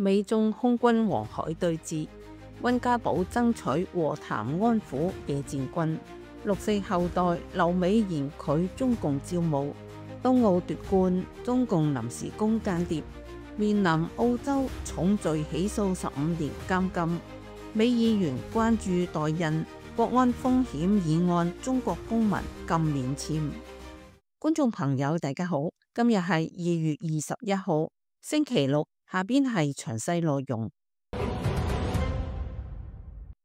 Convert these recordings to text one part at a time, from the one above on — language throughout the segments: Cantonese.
美中空軍黃海對峙，溫家寶爭取和談安撫野戰軍。6.4後代留美嫌拒中共招募。東奧奪冠，中共臨時工間諜，面臨澳洲重罪起訴15年監禁。美議員關注代印國安風險議案，中國公民禁免簽。觀眾朋友大家好，今日係2月21號星期六，下邊係詳細內容。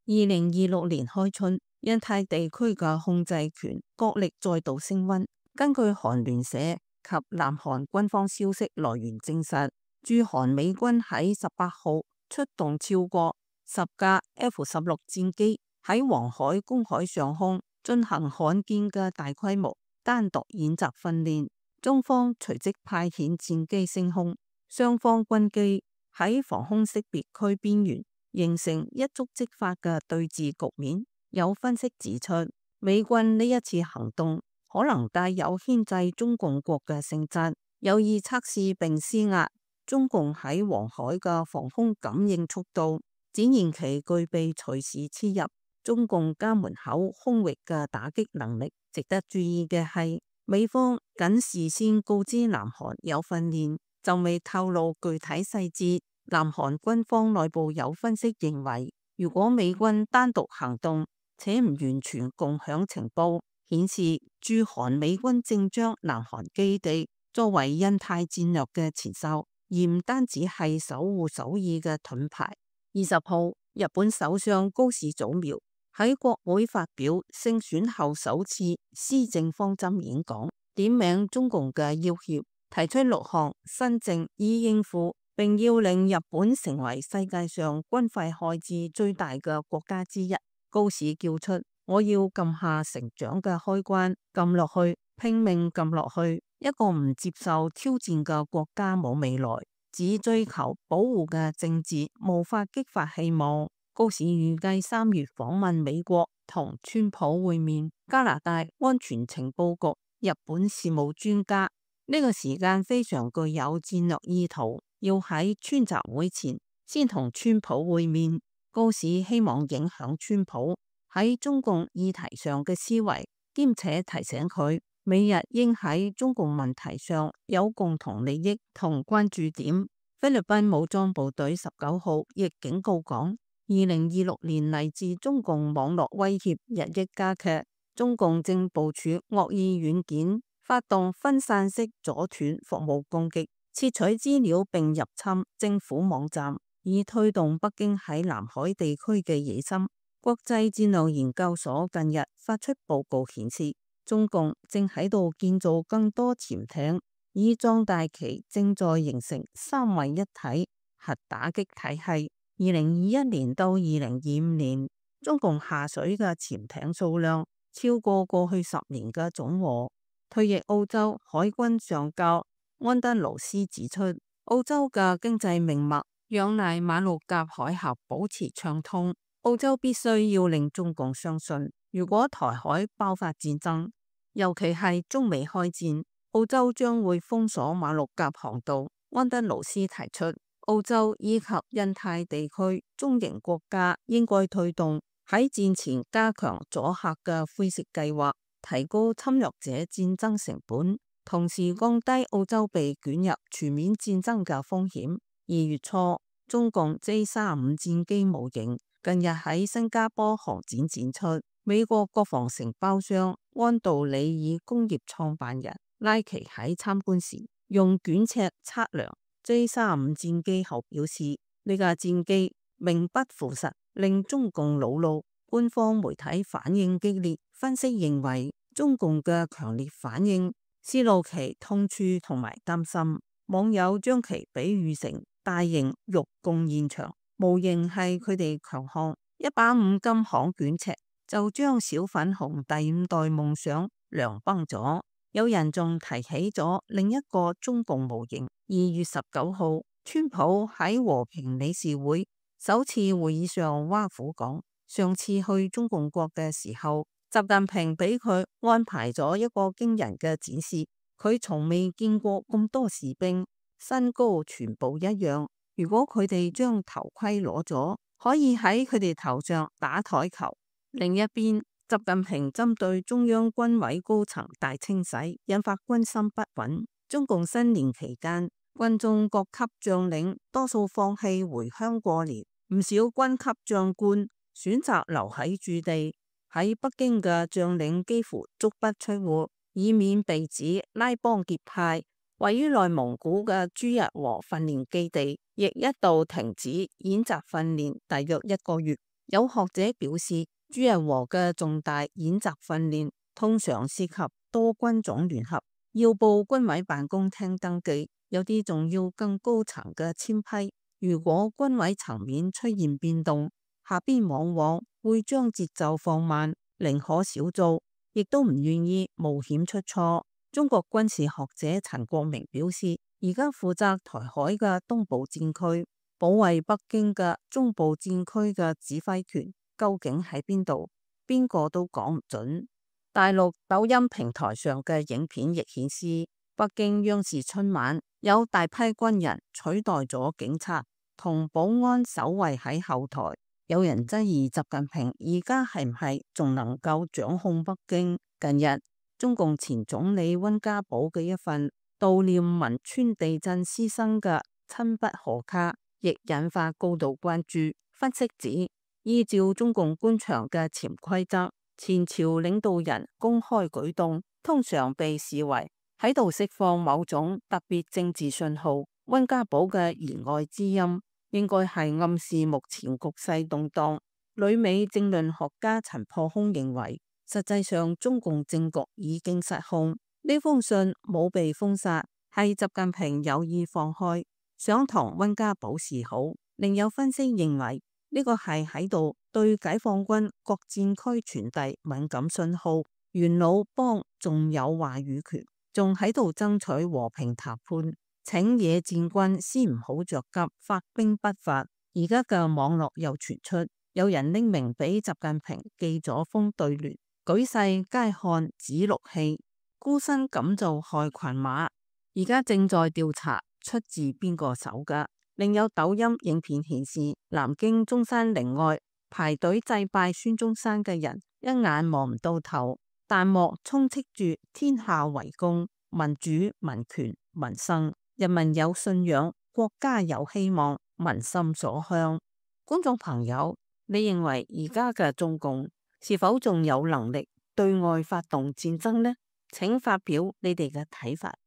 2026年開春，印太地區嘅控制權角力再度升溫。根據韓聯社及南韓軍方消息來源證實，駐韓美軍喺18號出動超過10架 F-16戰機喺黃海公海上空進行罕見嘅大規模單獨演習訓練。中方隨即派遣戰機升空，雙方軍機喺防空識別區邊緣形成一觸即發嘅對峙局面。有分析指出，美軍呢一次行動可能帶有牽制中共國嘅性質，有意測試並施壓中共喺黃海嘅防空感應速度，展現其具備隨時切入中共家門口空域嘅打擊能力。值得注意嘅係，美方僅事先告知南韓有訓練，就未透露具體細節。南韓軍方內部有分析認為，如果美軍單獨行動且唔完全共享情報，顯示駐韓美軍正將南韓基地作為印太戰略嘅前哨，而唔單止係守護首爾嘅盾牌。20號，日本首相高市早苗喺國會發表勝選後首次施政方針演講，點名中共嘅要挾，提出6項新政以應付，並要令日本成為世界上軍費開支最大嘅國家之一。高市叫出：我要撳下成長嘅開關，撳落去，拼命撳落去。一個唔接受挑戰嘅國家冇未來，只追求保護嘅政治無法激發希望。高市預計3月訪問美國，同川普會面。加拿大安全情報局日本事務專家，呢個時間非常具有戰略意圖，要喺川習會前先同川普會面。高市希望影響川普喺中共議題上嘅思維，兼且提醒佢美日應喺中共問題上有共同利益同關注點。菲律賓武裝部隊19號亦警告講，2026年嚟自中共網絡威脅日益加劇，中共正部署惡意軟件，發動分散式阻斷服務攻擊，竊取資料並入侵政府網站，以推動北京喺南海地區嘅野心。國際戰略研究所近日發出報告顯示，中共正喺度建造更多潛艇，以壯大其正在形成三位一體核打擊體系。2021年到2025年，中共下水嘅潛艇數量超過過去10年嘅總和。退役澳洲海軍上校安德魯斯指出，澳洲嘅經濟命脈仰賴馬六甲海峽保持暢通。澳洲必須要令中共相信，如果台海爆發戰爭，尤其係中美開戰，澳洲將會封鎖馬六甲航道。安德魯斯提出，澳洲以及印太地區中型國家應該推動喺戰前加強阻嚇嘅灰色計劃，提高侵略者戰爭成本，同時降低澳洲被捲入全面戰爭嘅風險。2月初，中共 J-35戰機模型近日喺新加坡航展展出。美國國防承包商安道里爾工業創辦人拉奇喺參觀時用捲尺測量 J-35戰機後表示，呢架戰機名不符實，令中共惱怒。官方媒體反應激烈，分析認為中共嘅強烈反應泄露其痛處同埋擔心。網友將其比喻成大型肉供現場，模型係佢哋強項。一把5金行捲尺就將小粉紅第5代夢想涼崩咗。有人仲提起咗另一個中共模型。2月19號，川普喺和平理事會首次會議上挖苦講，上次去中共國嘅時候，習近平俾佢安排咗一個驚人嘅展示，佢從未見過咁多士兵，身高全部一樣，如果佢哋將頭盔攞咗，可以喺佢哋頭上打台球。另一邊，習近平針對中央軍委高層大清洗，引發軍心不穩。中共新年期間，軍中各級將領多數放棄回鄉過年，唔少軍級將官選擇留喺駐地。喺北京嘅將領幾乎足不出戶，以免被指拉幫結派。位於內蒙古嘅朱日和訓練基地亦一度停止演習訓練大約1個月。有學者表示，朱日和嘅重大演習訓練通常涉及多軍種聯合，要報軍委辦公廳登記，有啲仲要更高層嘅簽批。如果軍委層面出現變動，下邊往往會將節奏放慢，寧可少做，亦都唔願意冒險出錯。中國軍事學者陳國明表示，而家負責台海嘅東部戰區，保衛北京嘅中部戰區嘅指揮權究竟喺邊度？邊個都講唔準。大陸抖音平台上嘅影片亦顯示，北京央視春晚有大批軍人取代咗警察，同保安守衛喺後台。有人質疑習近平而家係唔係仲能夠掌控北京？近日，中共前總理溫家寶嘅一份悼念汶川地震師生嘅親筆賀卡，亦引發高度關注。分析指，依照中共官場嘅潛規則，前朝領導人公開舉動通常被視為喺度釋放某種特別政治信號。溫家寶嘅言外之音，應該係暗示目前局勢動盪。旅美政論學家陳破空認為，實際上中共政局已經失控。呢封信冇被封殺，係習近平有意放開，想同溫家寶示好。另有分析認為，呢個係喺度對解放軍各戰區傳遞敏感信號。元老幫仲有話語權，仲喺度爭取和平談判，請野戰軍先唔好着急發兵不發。而家嘅網絡又傳出，有人匿名俾習近平寄咗封對聯，舉世皆看指鹿戲，孤身敢造害群馬。而家正在調查出自邊個手㗎。另有抖音影片顯示，南京中山陵外排隊祭拜孫中山嘅人一眼望唔到頭，彈幕充斥住天下為公、民主、民權、民生，人民有信仰，國家有希望，民心所向。觀眾朋友，你認為而家嘅中共是否仲有能力對外發動戰爭呢？請發表你哋嘅睇法。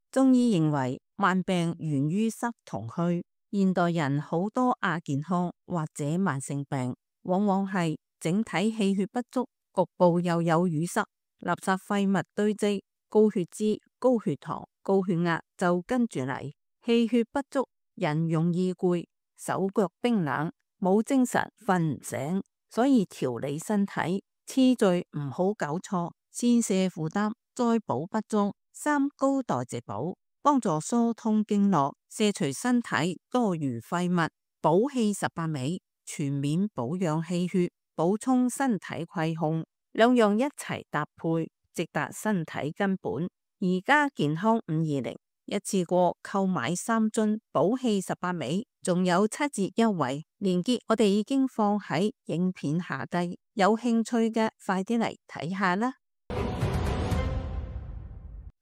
中醫認為，慢病源於濕同虛。現代人好多亞健康或者慢性病，往往係整體氣血不足，局部又有淤塞，垃圾廢物堆積，高血脂、高血糖、高血壓就跟住嚟。氣血不足，人容易攰，手腳冰冷，冇精神，瞓唔醒。所以調理身體次序唔好搞錯，先瀉負擔，再補不足，三高代謝補，幫助疏通經絡，卸除身體多餘廢物，補氣18味，全面保養氣血，補充身體虧空，兩樣一齊搭配，直達身體根本。而家健康520一次過購買3樽補氣18味，仲有7折優惠，連結我哋已經放喺影片下低，有興趣嘅快啲嚟睇下啦。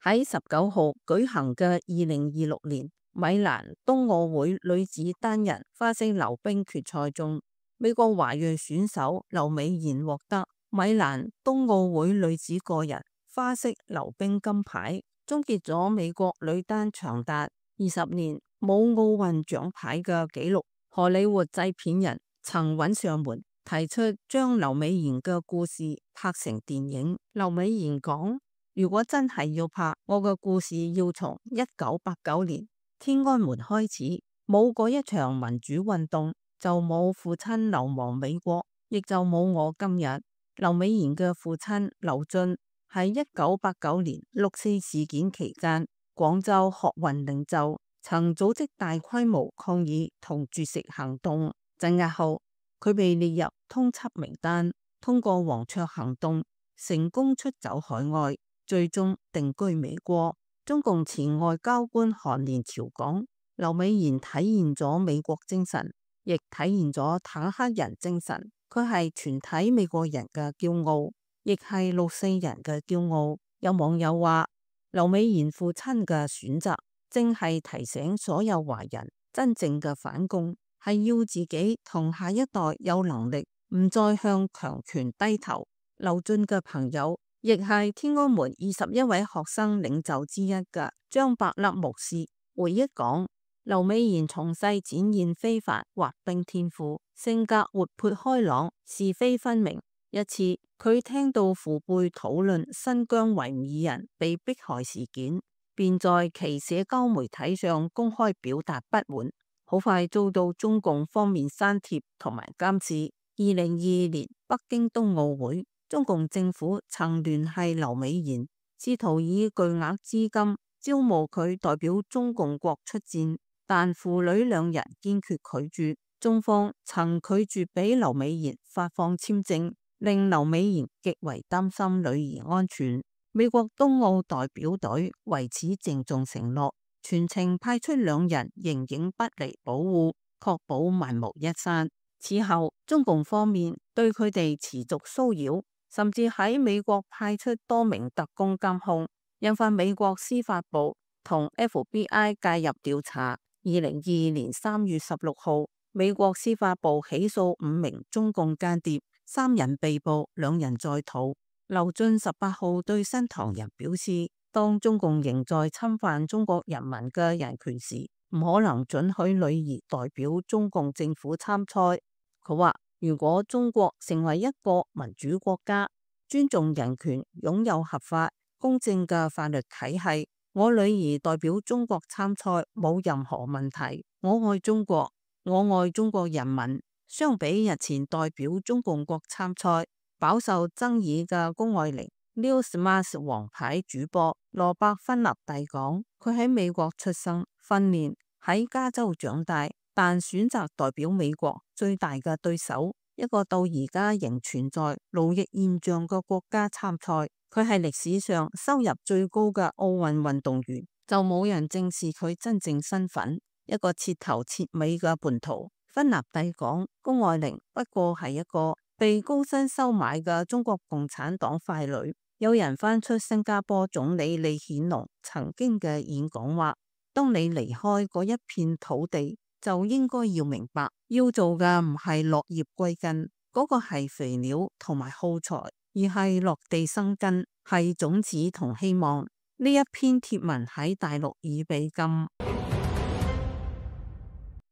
喺19號舉行嘅2026年米蘭冬奧會女子單人花式溜冰決賽中，美國華裔選手劉美妍獲得米蘭冬奧會女子個人花式溜冰金牌，終結咗美國女單長達20年冇奧運獎牌嘅紀錄。荷里活製片人曾揾上門，提出將劉美妍嘅故事拍成電影。劉美妍講，如果真係要拍，我嘅故事要從1989年天安門開始，冇嗰一場民主運動，就冇父親流亡美國，亦就冇我今日。劉美妍嘅父親劉俊喺1989年6.4事件期間，廣州學運領袖，曾組織大規模抗議同絕食行動，鎮壓後佢被列入通緝名單，通過黃雀行動成功出走海外，最終定居美國。中共前外交官韓連朝講，劉美賢體現咗美國精神，亦體現咗坦克人精神。佢係全體美國人嘅驕傲，亦係6·4人嘅驕傲。有網友話，劉美賢父親嘅選擇正係提醒所有華人，真正嘅反共係要自己同下一代有能力，唔再向強權低頭。劉俊嘅朋友，亦係天安門21位學生領袖之一嘅張伯笠牧師回憶講，劉美賢從細展現非凡滑冰天賦，性格活潑開朗，是非分明。一次，佢聽到父輩討論新疆維吾爾人被迫害事件，便在其社交媒體上公開表達不滿，好快遭到中共方面刪帖同埋監視。2022年北京冬奧會，中共政府曾聯繫劉美賢，試圖以巨額資金招募佢代表中共國出戰，但父女兩人堅決拒絕。中方曾拒絕俾劉美賢發放簽證，令劉美賢極為擔心女兒安全。美國冬奧代表隊為此鄭重承諾，全程派出2人形影不離保護，確保萬無一失。此後，中共方面對佢哋持續騷擾，甚至喺美國派出多名特工監控，引發美國司法部同 FBI 介入調查。2022年3月16號，美國司法部起訴5名中共間諜，3人被捕，2人在逃。劉俊18號對新唐人表示，當中共仍在侵犯中國人民嘅人權時，唔可能准許女兒代表中共政府參賽。佢話，如果中國成為一個民主國家，尊重人權，擁有合法公正嘅法律體系，我女兒代表中國參賽冇任何問題。我愛中國，我愛中國人民。相比日前代表中共國參賽飽受爭議嘅谷愛凌，Newsmax 王牌主播羅伯芬納蒂講，佢喺美國出生訓練，喺加州長大，但選擇代表美國最大嘅對手，一個到而家仍存在勞役現象嘅國家參賽。佢係歷史上收入最高嘅奧運運動員，就冇人正視佢真正身份，一個徹頭徹尾嘅叛徒。芬納蒂講，谷愛凌不過係一個被高薪收買嘅中國共產黨傀儡。有人翻出新加坡總理李顯龍曾經嘅演講話，當你離開嗰一片土地，就應該要明白，要做嘅唔係落葉歸根，嗰個係肥料同埋耗材，而係落地生根，係種子同希望。呢一篇貼文喺大陸已被禁。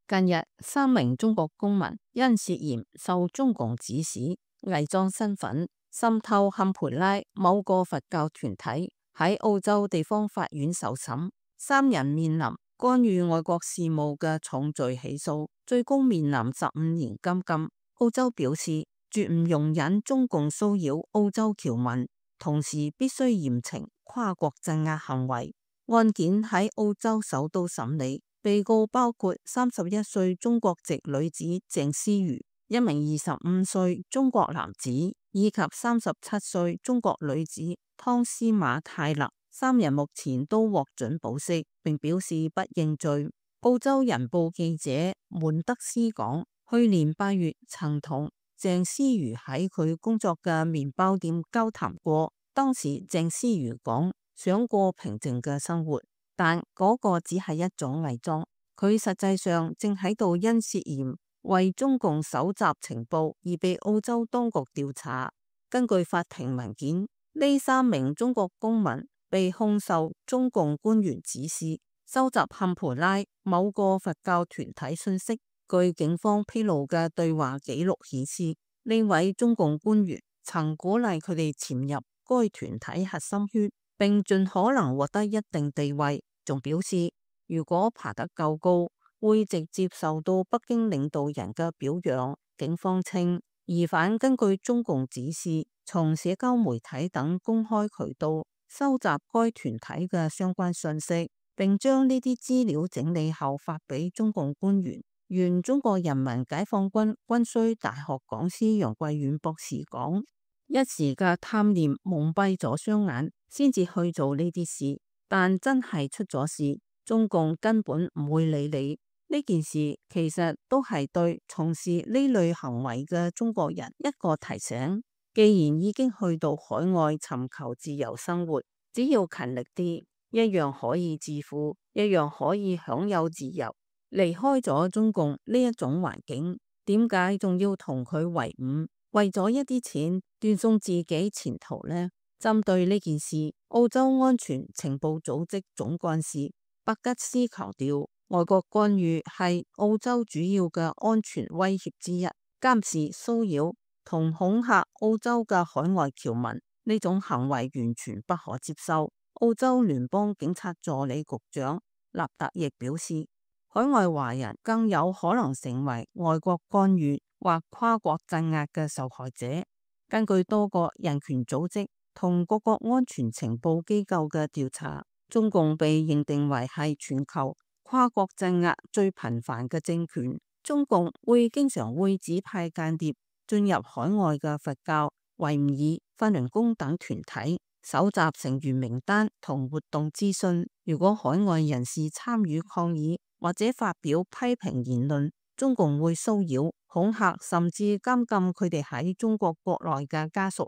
近日，3名中國公民因涉嫌受中共指使偽裝身份滲透堪培拉某個佛教團體，喺澳洲地方法院受審。3人面臨干預外國事務嘅重罪起訴，最高面臨15年監禁。澳洲表示絕唔容忍中共騷擾澳洲僑民，同時必須嚴懲跨國鎮壓行為。案件喺澳洲首都審理。被告包括31歲中國籍女子鄭思瑜、一名25歲中國男子以及37歲中國女子湯斯馬泰勒。3人目前都獲准保釋，並表示不認罪。澳洲人報記者門德斯講，去年8月曾同鄭思瑜喺佢工作嘅麵包店交談過，當時鄭思瑜講想過平靜嘅生活，但嗰個只係一種偽裝，佢實際上正喺度因涉嫌為中共搜集情報而被澳洲當局調查。根據法庭文件，呢3名中國公民被控受中共官員指示，收集堪培拉某個佛教團體信息。據警方披露嘅對話記錄顯示，呢位中共官員曾鼓勵佢哋潛入該團體核心圈，並盡可能獲得一定地位，仲表示如果爬得夠高，會直接受到北京領導人嘅表揚。警方稱，疑犯根據中共指示，從社交媒體等公開渠道收集該團體嘅相關信息，並將呢啲資料整理後發俾中共官員。原中國人民解放軍軍需大學講師楊貴遠博士講，一時嘅貪念蒙蔽咗雙眼，先至去做呢啲事，但真係出咗事，中共根本唔會理你。呢件事其實都係對從事呢類行為嘅中國人一個提醒。既然已經去到海外尋求自由生活，只要勤力啲，一樣可以致富，一樣可以享有自由。離開咗中共呢一種環境，點解仲要同佢為伍？為咗一啲錢斷送自己前途呢？針對呢件事，澳洲安全情報組織總幹事伯吉斯強調，外國干預係澳洲主要嘅安全威脅之一，監視、騷擾同恐嚇澳洲嘅海外僑民，呢種行為完全不可接受。澳洲聯邦警察助理局長納特亦表示，海外華人更有可能成為外國干預或跨國鎮壓嘅受害者。根據多個人權組織同各國安全情報機構嘅調查，中共被認定為係全球跨國鎮壓最頻繁嘅政權。中共經常會指派間諜進入海外嘅佛教、維吾爾、法輪功等團體，搜集成員名單同活動資訊。如果海外人士參與抗議或者發表批評言論，中共會騷擾、恐嚇甚至監禁佢哋喺中國國內嘅家屬。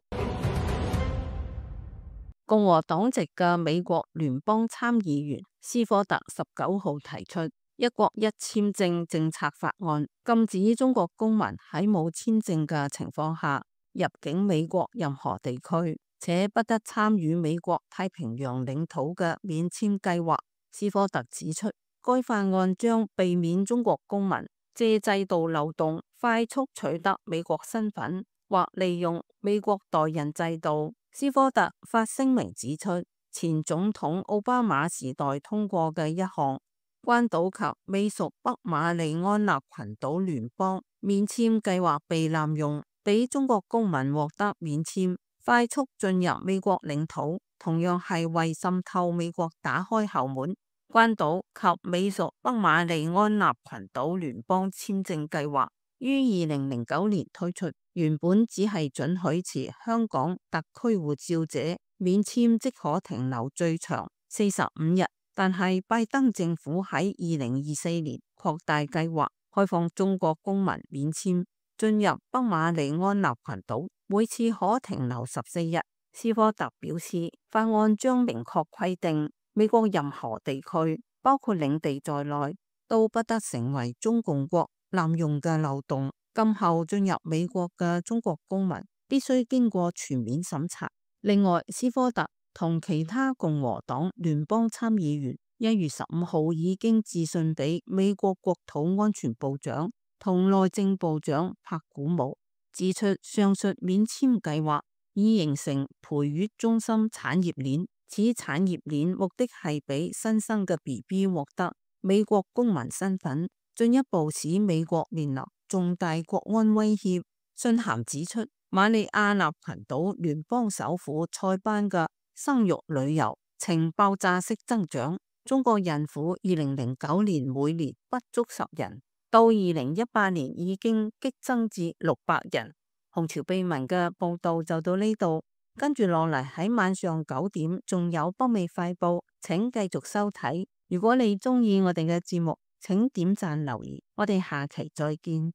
共和黨籍嘅美國聯邦參議員斯科特19號提出一國一簽證政策法案，禁止中國公民喺冇簽證嘅情況下入境美國任何地區，且不得參與美國太平洋領土嘅免簽計劃。斯科特指出，該法案將避免中國公民借制度漏洞快速取得美國身份，或利用美國代孕制度。斯科特發聲明指出，前總統奧巴馬時代通過嘅一項關島及美屬北馬里安納群島聯邦免簽計劃被濫用，俾中國公民獲得免簽，快速進入美國領土，同樣係為滲透美國打開後門。關島及美屬北馬里安納群島聯邦簽證計劃於2009年推出，原本只係准許持香港特區護照者免簽即可停留最長45日，但係拜登政府喺2024年擴大計劃，開放中國公民免簽進入北馬里安納群島，每次可停留14日。斯科特表示，法案將明確規定，美國任何地區，包括領地在內，都不得成為中共國濫用嘅漏洞。今後進入美國嘅中國公民必須經過全面審查。另外，斯科特同其他共和黨聯邦參議員1月15號已經致信俾美國國土安全部長同內政部長柏古姆，指出上述免簽計劃已形成培育中心產業鏈，此產業鏈目的係俾新生嘅 BB 獲得美國公民身份，進一步使美國面臨重大國安威脅。信函指出，馬里亞納群島聯邦首府塞班嘅生育旅遊呈爆炸式增長，中國孕婦2009年每年不足10人，到2018年已經激增至600人。紅潮秘聞嘅報道就到呢度，跟住落嚟喺晚上9點仲有北美快報，請繼續收睇。如果你中意我哋嘅節目，請點讚留言，我哋下期再見。